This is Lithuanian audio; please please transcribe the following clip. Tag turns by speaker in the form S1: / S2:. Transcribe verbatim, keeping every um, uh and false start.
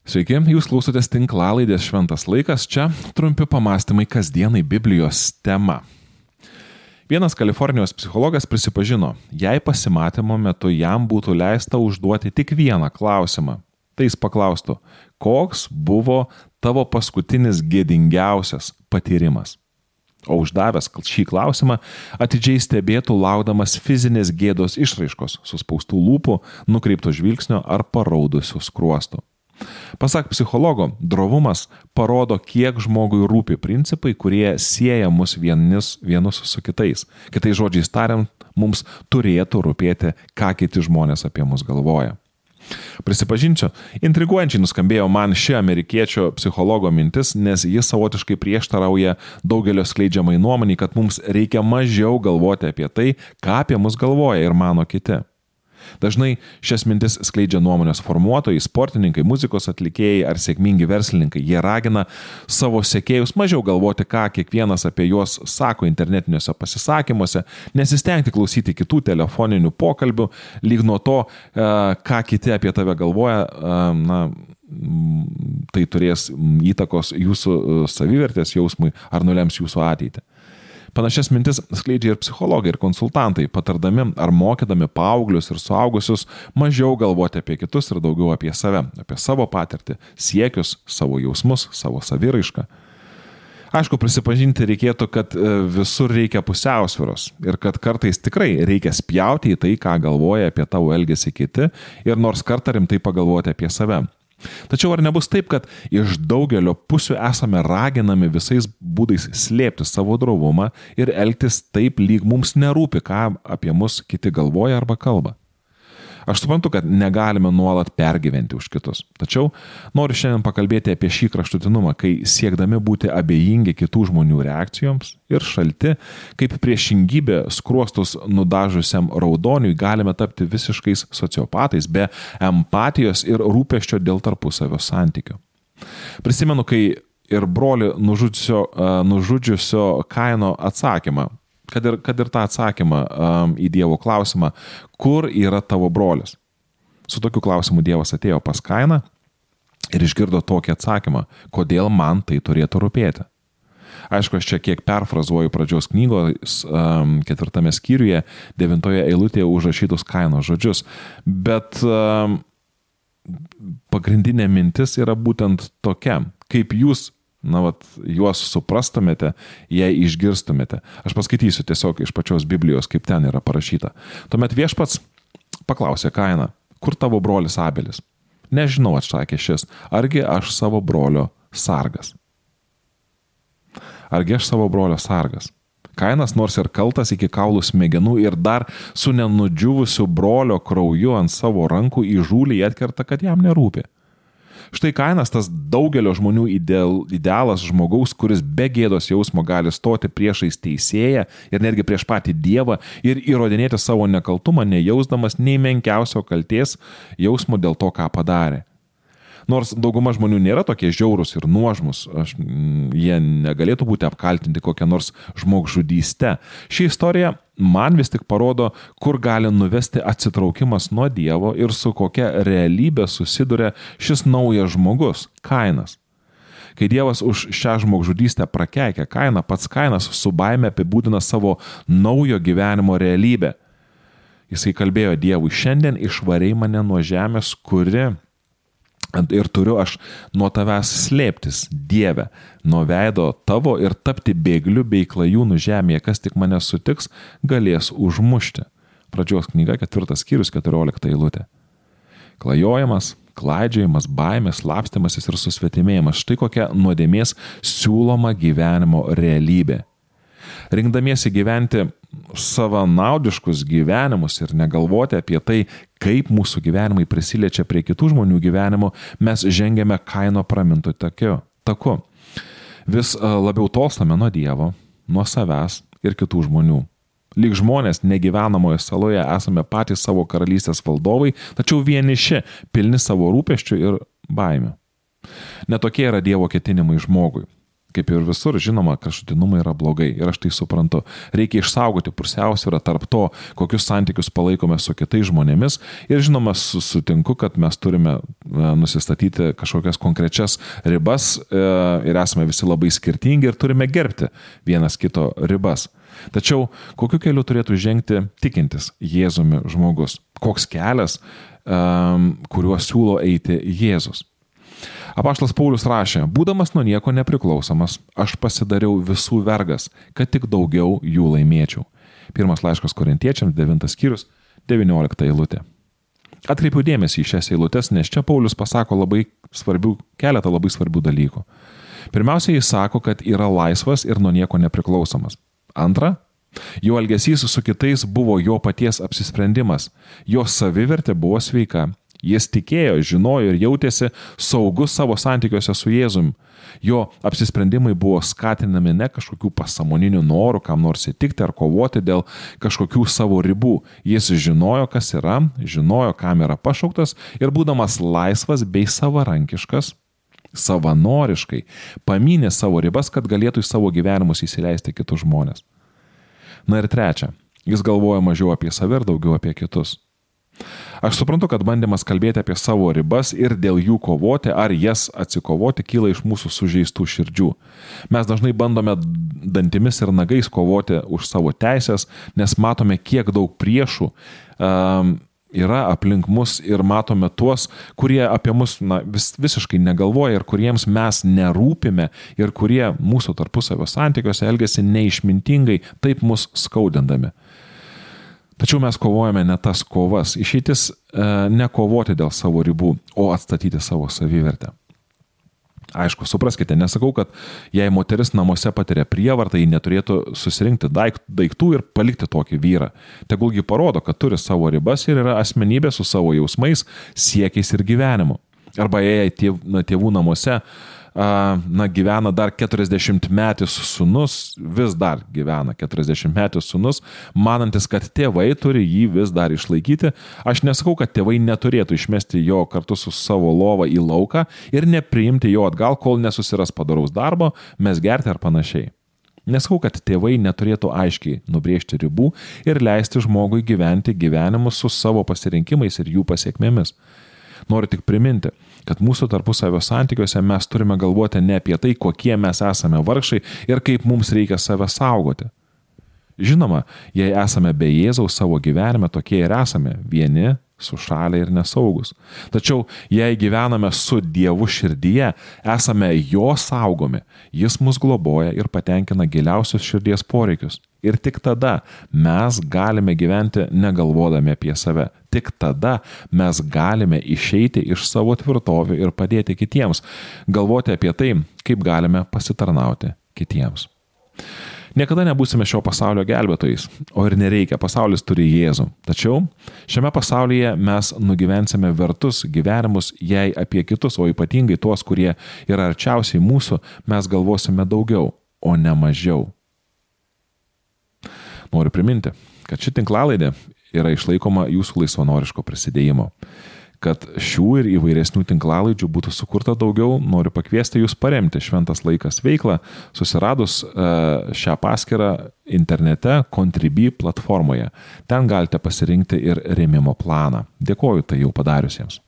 S1: Sveiki, jūs klausotės tinklalaidės Šventas laikas, čia trumpi pamastymai kasdienai Biblijos tema. Vienas Kalifornijos psichologas prisipažino, jei pasimatymo metu jam būtų leista užduoti tik vieną klausimą. Tai jis paklaustų, koks buvo tavo paskutinis gėdingiausias patyrimas? O uždavęs šį klausimą, atidžiai stebėtų laukdamas fizinės gėdos išraiškos, suspaustų lūpų, nukreipto žvilgsnio ar paraudusių skruostų. Pasak psichologo, drovumas parodo, kiek žmogui rūpi principai, kurie sieja mus vienis, vienus su kitais. Kitais žodžiais tariant, mums turėtų rūpėti, ką kiti žmonės apie mus galvoja. Prisipažinčiau, intriguojančiai nuskambėjo man ši amerikiečio psichologo mintis, nes jis savotiškai prieštarauja daugelio skleidžiamai nuomonei, kad mums reikia mažiau galvoti apie tai, ką apie mus galvoja ir mano kiti. Dažnai šias mintis skleidžia nuomonės formuotojai, sportininkai, muzikos atlikėjai ar sėkmingi verslininkai. Jie ragina savo sekėjus mažiau galvoti, ką kiekvienas apie juos sako internetiniuose pasisakymuose, nesistengti klausyti kitų telefoninių pokalbių, lyg nuo to, ką kiti apie tave galvoja, na, tai turės įtakos jūsų savivertės jausmui ar nulems jūsų ateitį. Panašias mintis skleidžia ir psichologai, ir konsultantai, patardami ar mokydami paauglius ir suaugusius mažiau galvoti apie kitus ir daugiau apie save, apie savo patirtį, siekius, savo jausmus, savo saviraišką. Aišku, prisipažinti reikėtų, kad visur reikia pusiausvyros ir kad kartais tikrai reikia spjauti į tai, ką galvoja apie tavo elgesį kiti ir nors kartą rimtai pagalvoti apie save. Tačiau ar nebus taip, kad iš daugelio pusių esame raginami visais būdais slėpti savo drovumą ir elgtis taip, lyg mums nerūpi, ką apie mus kiti galvoja arba kalba? Aš suprantu, kad negalime nuolat pergyventi už kitus. Tačiau noriu šiandien pakalbėti apie šį kraštutinumą, kai siekdami būti abejingi kitų žmonių reakcijoms ir šalti, kaip priešingybė skruostus nudažusiam raudoniui galime tapti visiškais sociopatais be empatijos ir rūpesčio dėl tarpusavio santykių. Prisimenu, kai ir brolį nužudžiusio, nužudžiusio Kaino atsakymą, Kad ir, kad ir tą atsakymą um, į Dievo klausimą, kur yra tavo brolis? Su tokiu klausimu Dievas atėjo pas Kainą ir išgirdo tokį atsakymą, kodėl man tai turėtų rūpėti. Aišku, aš čia kiek perfrazuoju pradžios knygos um, ketvirtame skyriuje, devintoje eilutėje užrašytus Kaino žodžius, bet um, pagrindinė mintis yra būtent tokia, kaip jūs na, vat, juos suprastumėte, jei išgirstumėte. Aš paskaitysiu tiesiog iš pačios Biblijos, kaip ten yra parašyta. Tuomet viešpats paklausė Kainą, kur tavo brolis Abelis? Nežinau, atsakė šis, argi aš savo brolio sargas? Argi aš savo brolio sargas? Kainas nors ir kaltas iki kaulų smegenų ir dar su nenudžiuvusiu brolio krauju ant savo rankų įžūliai atkerta, kad jam nerūpi. Štai Kainas tas daugelio žmonių ideal, idealas žmogaus, kuris be gėdos jausmo gali stoti priešais teisėją ir netgi prieš patį Dievą ir įrodinėti savo nekaltumą, nejausdamas nei menkiausio kaltės jausmo dėl to, ką padarė. Nors dauguma žmonių nėra tokie žiaurūs ir nuožmus, aš, jie negalėtų būti apkaltinti kokią nors žmogžudyste. Ši istorija man vis tik parodo, kur gali nuvesti atsitraukimas nuo Dievo ir su kokia realybė susiduria šis naujas žmogus, Kainas. Kai Dievas už šią žmogžudystę prakeikia Kainą, pats Kainas su baime apibūdina savo naujo gyvenimo realybę. Jisai kalbėjo Dievui, šiandien išvarei mane nuo žemės, kuri ir turiu aš nuo tavęs slėptis, Dieve, nuo veido tavo ir tapti bėgliu bei klajūnų žemėje, kas tik mane sutiks, galės užmušti. Pradžios knyga, ketvirtas skyrius, keturiolikta eilutė. Klajojimas, klaidžiojimas, baimės, slapstymasis ir susvetimėjimas. Štai kokia nuodėmės siūloma gyvenimo realybė. Rinkdamiesi gyventi savanaudiškus gyvenimus ir negalvoti apie tai, kaip mūsų gyvenimai prisiliečia prie kitų žmonių gyvenimo, mes žengiame Kaino pramintu taku. Vis labiau tolstame nuo Dievo, nuo savęs ir kitų žmonių. Lyg žmonės negyvenamoje saloje esame patys savo karalystės valdovai, tačiau vieniši, pilni savo rūpesčių ir baimių. Netokie yra Dievo ketinimai žmogui. Kaip ir visur, žinoma, kraštutinumai yra blogai ir aš tai suprantu. Reikia išsaugoti pusiausvyrą tarp to, kokius santykius palaikome su kitais žmonėmis ir žinoma, sutinku, kad mes turime nusistatyti kažkokias konkrečias ribas ir esame visi labai skirtingi ir turime gerbti vienas kito ribas. Tačiau kokiu keliu turėtų žengti tikintis Jėzumi žmogus? Koks kelias, kuriuo siūlo eiti Jėzus? Apaštalas Paulius rašė, būdamas nuo nieko nepriklausomas, aš pasidariau visų vergas, kad tik daugiau jų laimėčiau. Pirmas laiškas Korintiečiams, devintas skyrius, devyniolikta eilutė. Atkreipiu dėmesį į šias eilutes, nes čia Paulius pasako labai svarbių, keletą labai svarbių dalykų. Pirmiausia, jis sako, kad yra laisvas ir nuo nieko nepriklausomas. Antra, jo elgesys su kitais buvo jo paties apsisprendimas, jo savivertė buvo sveika. Jis tikėjo, žinojo ir jautėsi saugus savo santykiuose su Jėzumi. Jo apsisprendimai buvo skatinami ne kažkokių pasąmoninių norų, kam nors įtikti ar kovoti dėl kažkokių savo ribų. Jis žinojo, kas yra, žinojo, kam yra pašauktas ir būdamas laisvas bei savarankiškas, savanoriškai, pamynė savo ribas, kad galėtų į savo gyvenimus įsileisti kitus žmonės. Na ir trečia, jis galvoja mažiau apie save ir daugiau apie kitus. Aš suprantu, kad bandymas kalbėti apie savo ribas ir dėl jų kovoti ar jas atsikovoti kyla iš mūsų sužeistų širdžių. Mes dažnai bandome dantimis ir nagais kovoti už savo teisės, nes matome, kiek daug priešų um, yra aplink mus ir matome tuos, kurie apie mus na, vis, visiškai negalvoja ir kuriems mes nerūpime ir kurie mūsų tarpusavio santykiuose elgiasi neišmintingai, taip mus skaudindami. Tačiau mes kovojame ne tas kovas. Išeitis e, ne kovoti dėl savo ribų, o atstatyti savo savivertę. Aišku, supraskite, nesakau, kad jei moteris namuose patiria prievartą, ji neturėtų susirinkti daiktų ir palikti tokį vyrą. Tegulgi parodo, kad turi savo ribas ir yra asmenybė su savo jausmais, siekiais ir gyvenimu. Arba jei tėv, na, tėvų namuose na, gyvena dar keturiasdešimtmetis sūnus, vis dar gyvena keturiasdešimtmetis sūnus, manantis, kad tėvai turi jį vis dar išlaikyti. Aš nesakau, kad tėvai neturėtų išmesti jo kartu su savo lova į lauką ir nepriimti jo atgal, kol nesusiras padaraus darbo, mes gerti ar panašiai. Nesakau, kad tėvai neturėtų aiškiai nubrėžti ribų ir leisti žmogui gyventi gyvenimus su savo pasirinkimais ir jų pasiekmėmis. Noriu tik priminti, kad mūsų tarpusavio santykiuose mes turime galvoti ne apie tai, kokie mes esame vargšai ir kaip mums reikia save saugoti. Žinoma, jei esame be Jėzaus savo gyvenime, tokie ir esame, vieni, sušalę ir nesaugus. Tačiau, jei gyvename su Dievu širdyje, esame jo saugomi, jis mus globoja ir patenkina giliausius širdies poreikius. Ir tik tada mes galime gyventi negalvodami apie save. Tik tada mes galime išeiti iš savo tvirtovių ir padėti kitiems, galvoti apie tai, kaip galime pasitarnauti kitiems. Niekada nebūsime šio pasaulio gelbėtojais, o ir nereikia, pasaulis turi Jėzų. Tačiau šiame pasaulyje mes nugyvensime vertus gyvenimus, jei apie kitus, o ypatingai tuos, kurie yra arčiausiai mūsų, mes galvosime daugiau, o ne mažiau. Noriu priminti, kad ši tinklalaidė yra išlaikoma jūsų laisvanoriško prisidėjimo. Kad šių ir įvairesnių tinklalaidžių būtų sukurta daugiau, noriu pakviesti jūs paremti Šventas laikas veiklą, susiradus šią paskyrą internete Contribui platformoje. Ten galite pasirinkti ir rėmimo planą. Dėkoju tai jau padariusiems.